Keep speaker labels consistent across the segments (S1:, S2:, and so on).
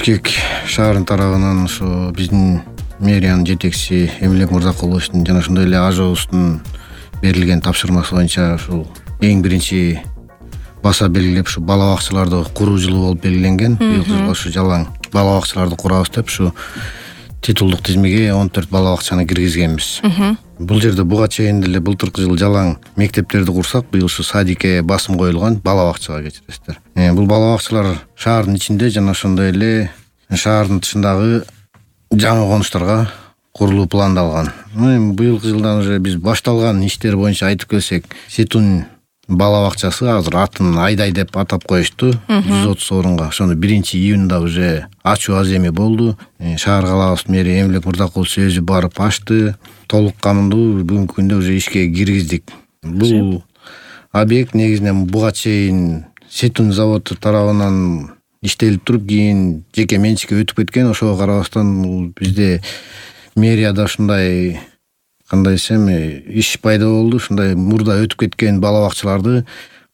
S1: Бишкек шаарынын тарабынан ошо биздин мэриянын жетекчиси Эмилбек Мырзакуловичтин жана ошондой эле АЖОбуздун берилген тапшырмасы боюнча ушул эң биринчи баса белгилеп ушу бала бакчаларды куруу жылы болуп белгиленген. Быйылкы жылга ушу жалаң бала бакчаларды курабыз деп ушу титулдук тизмеге 14 бала бакчаны киргизгенбиз. Бул жерде буга чейин деле былтыркы жылы жалаң мектептерди курсак, быйыл ушу садикке басым коюлган, бала бакчага кечиресиздер. Бул бала бакчалар шаардын ичинде жана ошондой эле шаардын тышындагы жаңы конуштарга курулуу пландалган. Быйылкы жылдан уже биз башталган иштер боюнча айтып келсек, Сетун бала бакчасы азыр атын Айдай деп атап коюшту. 130 орунга. Ошону 1-июнда уже ачуу аземи болду. Шаар калаабыздын мэри Эмилбек Мырзакулович өзү барып ачты. Толук камдуу бүгүнкү күндө уже ишке киргиздик. Бул объект негизинен буга чейин Сетун заводу тарабынан иштелип туруп, кийин жеке менчикке өтүп кеткен. Ошого карабастан бизде мэрияда ушундай кандай десем иш пайда болду. Ушундай мурда өтүп кеткен бала бакчаларды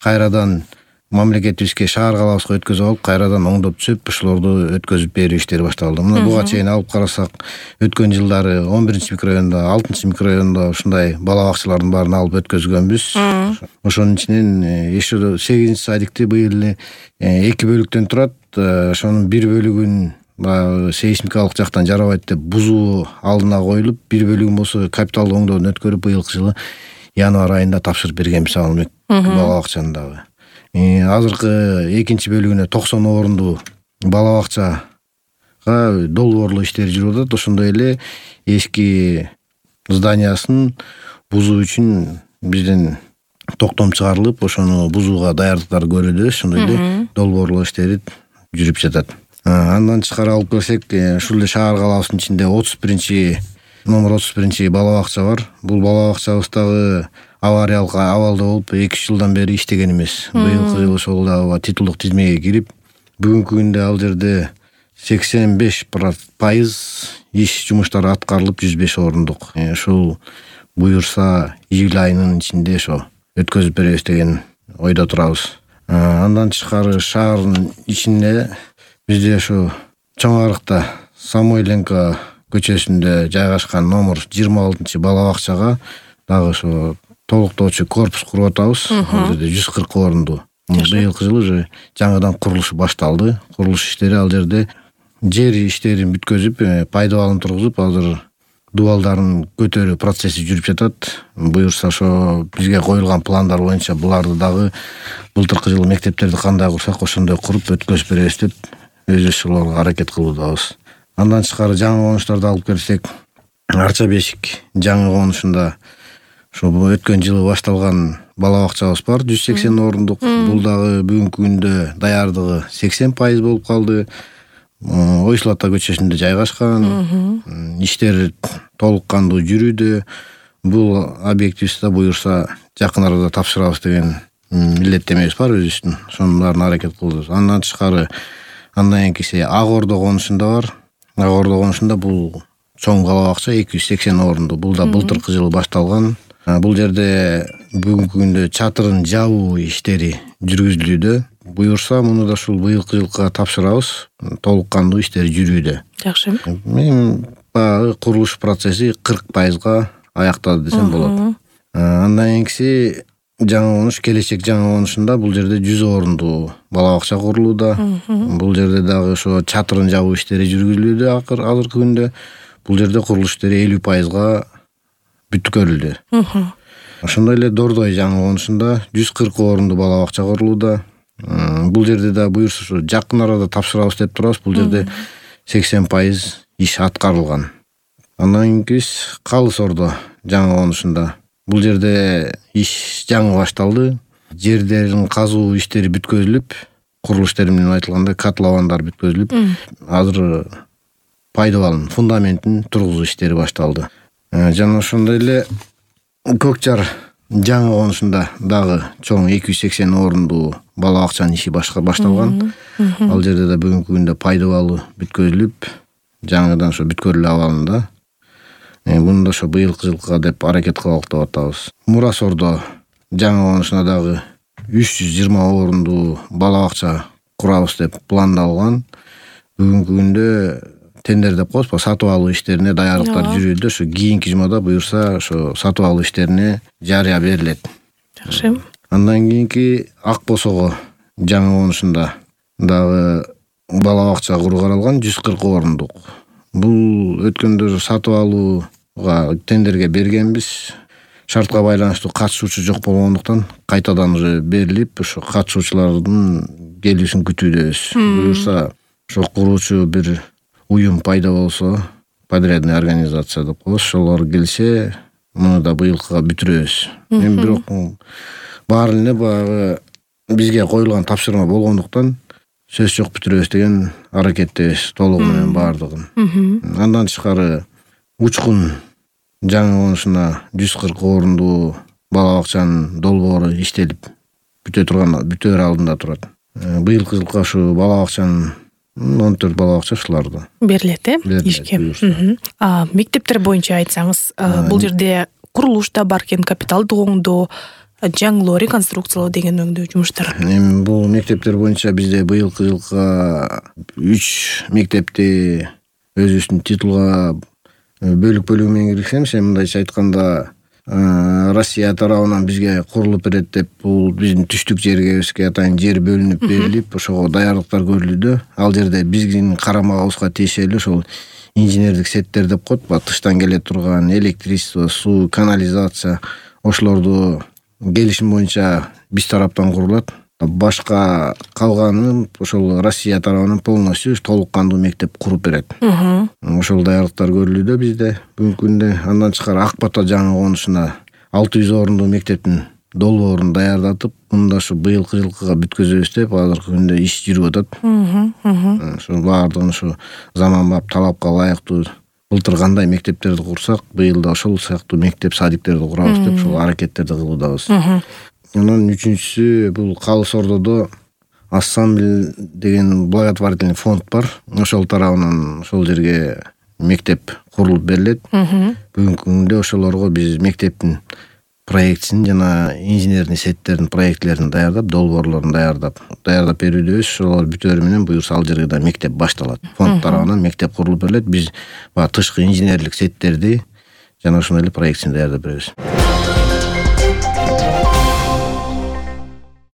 S1: кайрадан мамлекетибизге, шаар калаабызга өткөзүп алып, кайрадан оңдоп түзөп, ошолорду өткөзүп берүү иштери башталды. Мына буга чейин алып карасак, өткөн жылдары 11-микрорайондо, 6-микрорайондо ушундай бала бакчалардын баарын алып өткөзгөнбүз. Ошонун ичинен еще 8-садикти быйыл эле 2 бөлүктөн турат. Ошонун бир бөлүгүн сейсмикалык жактан жарабайт деп бузуу алдына коюлуп, бир бөлүгүн болсо капиталдык оңдоодон өткөрүп, быйылкы жылы январь айында тапшырып бергенбиз ал бала бакчаны дагы. Азыркы экинчи бөлүгүнө 90 орундуу бала бакчага долбоорлоо иштери жүрүп атат. Ошондой эле эски зданиясын бузуу үчүн бизден токтом чыгарылып, ошону бузууга даярдыктар көрүлөбүз. Ошондой эле долбоорлоо иштери жүрүп жатат. Андан тышкары алып келсек, ушул эле шаар калаабыздын ичинде номер 31 бала бакча бар. Бул бала бакчабыз дагы авариялык абалда болуп, 2 жылдан бери иштеген эмес. Быйылкы жылы ошол дагы титулдук тизмеге кирип, бүгүнкү күндө ал жерде 85% иш жумуштары аткарылып, 105 орундук. Ушул буюрса июль айынын ичинде ошо өткөзүп беребиз деген ойдо турабыз. Андан тышкары шаардын ичинде бизде ошо Чоң Арыкта Самойленко көчөсүндө жайгашкан номер 26 бала бакчага дагы ошо толуктоочу корпус куруп атабыз. Ал жерде 140 орундуу. Быйылкы жылы уже жаңыдан курулушу башталды. Курулуш иштери ал жерде жер иштерин бүткөзүп, пайдабалын тургузуп, азыр дубалдарын көтөрүү процесси жүрүп жатат. Буюрса ошо бизге коюлган пландар боюнча буларды дагы былтыркы жылы мектептерди кандай курсак, ошондой куруп өткөзүп беребиз деп өзүбүз ошолорго аракет кылуудабыз. Андан тышкары жаңы конуштарды алып келсек, Арча Бешик жаңы конушунда ошо өткөн жылы башталган бала бакчабыз бар, 180 орундук. Бул дагы бүгүнкү күндө даярдыгы 80% болуп калды. Ойсул Ата көчөсүндө жайгашкан. Иштер толук кандуу жүрүүдө. Бул объектибизде буюрса жакын арада тапшырабыз деген милдеттемебиз бар өзүбүздүн. Ошонун баарын аракет кылабыз. Андан тышкары андан кийинкиси Ак Ордо конушунда бар. Ак Ордо конушунда бул чоң бала бакча 280 орундуу. Бул да былтыркы жылы башталган. Бул жерде бүгүнкү күндө чатырын жабуу иштери жүргүзүлүүдө. Буюрса муну да ушул быйылкы жылга тапшырабыз. Толук кандуу иштери жүрүүдө.
S2: Жакшы.
S1: Мен баягы курулуш процесси 40%га аяктады десем болот. Андан кийинкиси жаңы конуш, Келечек жаңы конушунда бул жерде 100 орундуу бала бакча курулууда. Бул жерде дагы ошо чатырын жабуу иштери жүргүзүлүүдө азыркы күндө. Бул жерде курулуш иштери 50%га бүткөрүлдү. Ошондой эле Дордой жаңы конушунда 140 орундуу бала бакча курулууда. Бул жерде да буюрса ушу жакын арада тапшырабыз деп турабыз. Бул жерде 80% иш аткарылган. Андан кийин Калыс Ордо жаңы конушунда бул жерде иш жаңы башталды. Жердерин казуу иштери бүткөзүлүп, курулуш иштери менен айтылганда котловандар бүткөзүлүп, азыр пайдабалын, фундаментин тургузуу иштери башталды. Жана ошондой эле Көкжар жаңы конушунда дагы чоң 280 орундуу бала бакчанын иши башталган. Ал жерде да бүгүнкү күндө пайдабалы бүткөзүлүп, жаңыдан ошо бүткөрүлүү абалында. Муну да ошо быйылкы жылга деп аракет кылалык деп атабыз. Мурас Ордо жаңы конушунда дагы 320 орундуу бала бакча курабыз деп пландалган. бүгүнкү күндө тендер деп коебуз, сатып алуу иштерине даярдыктар жүрүүдө. Ошо кийинки жумада буюрса ошо сатып алуу иштерине жарыя берилет.
S2: Жакшы.
S1: Андан кийинки Ак Босого жаңы конушунда дагы бала бакча куруу каралган 140 орундук. Бул өткөндө сатып алууга тендерге бергенбиз. Шартка байланыштуу катышуучу жок болгондуктан кайтадан уже берилип, ошо катышуучулардын келүүсүн күтүүдөбүз. Буюрса ошо куруучу бир уюм пайда болсо, подрядный организация деп коебуз, ошолор келсе, муну да быйылкыга бүтүрөбүз. Эми бирок баары эле баягы бизге коюлган тапшырма болгондуктан сөз жок бүтүрөбүз деген аракеттебиз толугу менен баардыгын. Андан тышкары Учкун жаңы конушуна 140 орунду бала бакчанын долбоору иштелип бүтөөр алдында турат. Быйылкы жылкы ушу бала бакчанын 14 бала бакча ушуларды
S2: берилет, ишке. Мектептер боюнча айтсаңыз, бул жерде курулуш да бар экен, капиталдык оңдоо, жаңылоо, реконструкциялоо деген өңдөө жумуштар.
S1: Эми бул мектептер боюнча бизде быйылкы жылкы 3 мектепти өзүбүздүн титулга бөлүк менен киргиземиз. Мындайча айтканда, Россия тарабынан бизге курулуп берет деп, бул биздин түштүк жергебизге атайын жер бөлүнүп берилип, ошого даярдыктар көрүлүүдө. Ал жерде биздин карамагыбызга тиешелүү ошол инженердик сеттер деп коет, тыштан келе турган электричество, суу, канализация, ошолорду келишим боюнча биз тараптан курулат. Башка калганын ошол Россия тарабынан полностью толук кандуу мектеп куруп берет. Ошол даярдыктар көрүлүүдө бизде бүгүнкү күндө. Андан тышкары Ак Бата жаңы конушуна 600 орунду мектептин долбоорун даярдатып, мында ушу быйылкы жылкыга бүткөзөбүз деп азыркы күндө иш жүрүп атат. Ошо баардыгын ушу заманбап талапка ылайыктуу былтыр кандай мектептерди курсак, быйыл да ошол сыяктуу мектеп садиктерди курабыз деп ошол аракеттерди кылуудабыз. Анан үчүнчүсү бул Калыс Ордодо Ассамбль деген благотворительный фонд бар. Ошол тарабынан ошол жерге мектеп курулуп берилет. Бүгүнкү күндө ошолорго биз мектептин проектисин жана инженерный сеттердин проектлерин даярдап, долбоорлорун даярдап берүүдөбүз. Ошолор бүтөөрү менен буюрса ал жерге да мектеп башталат. Фонд тарабынан мектеп курулуп берилет. Биз тышкы инженерлик сеттерди жана ошондой эле проектисин даярдап беребиз.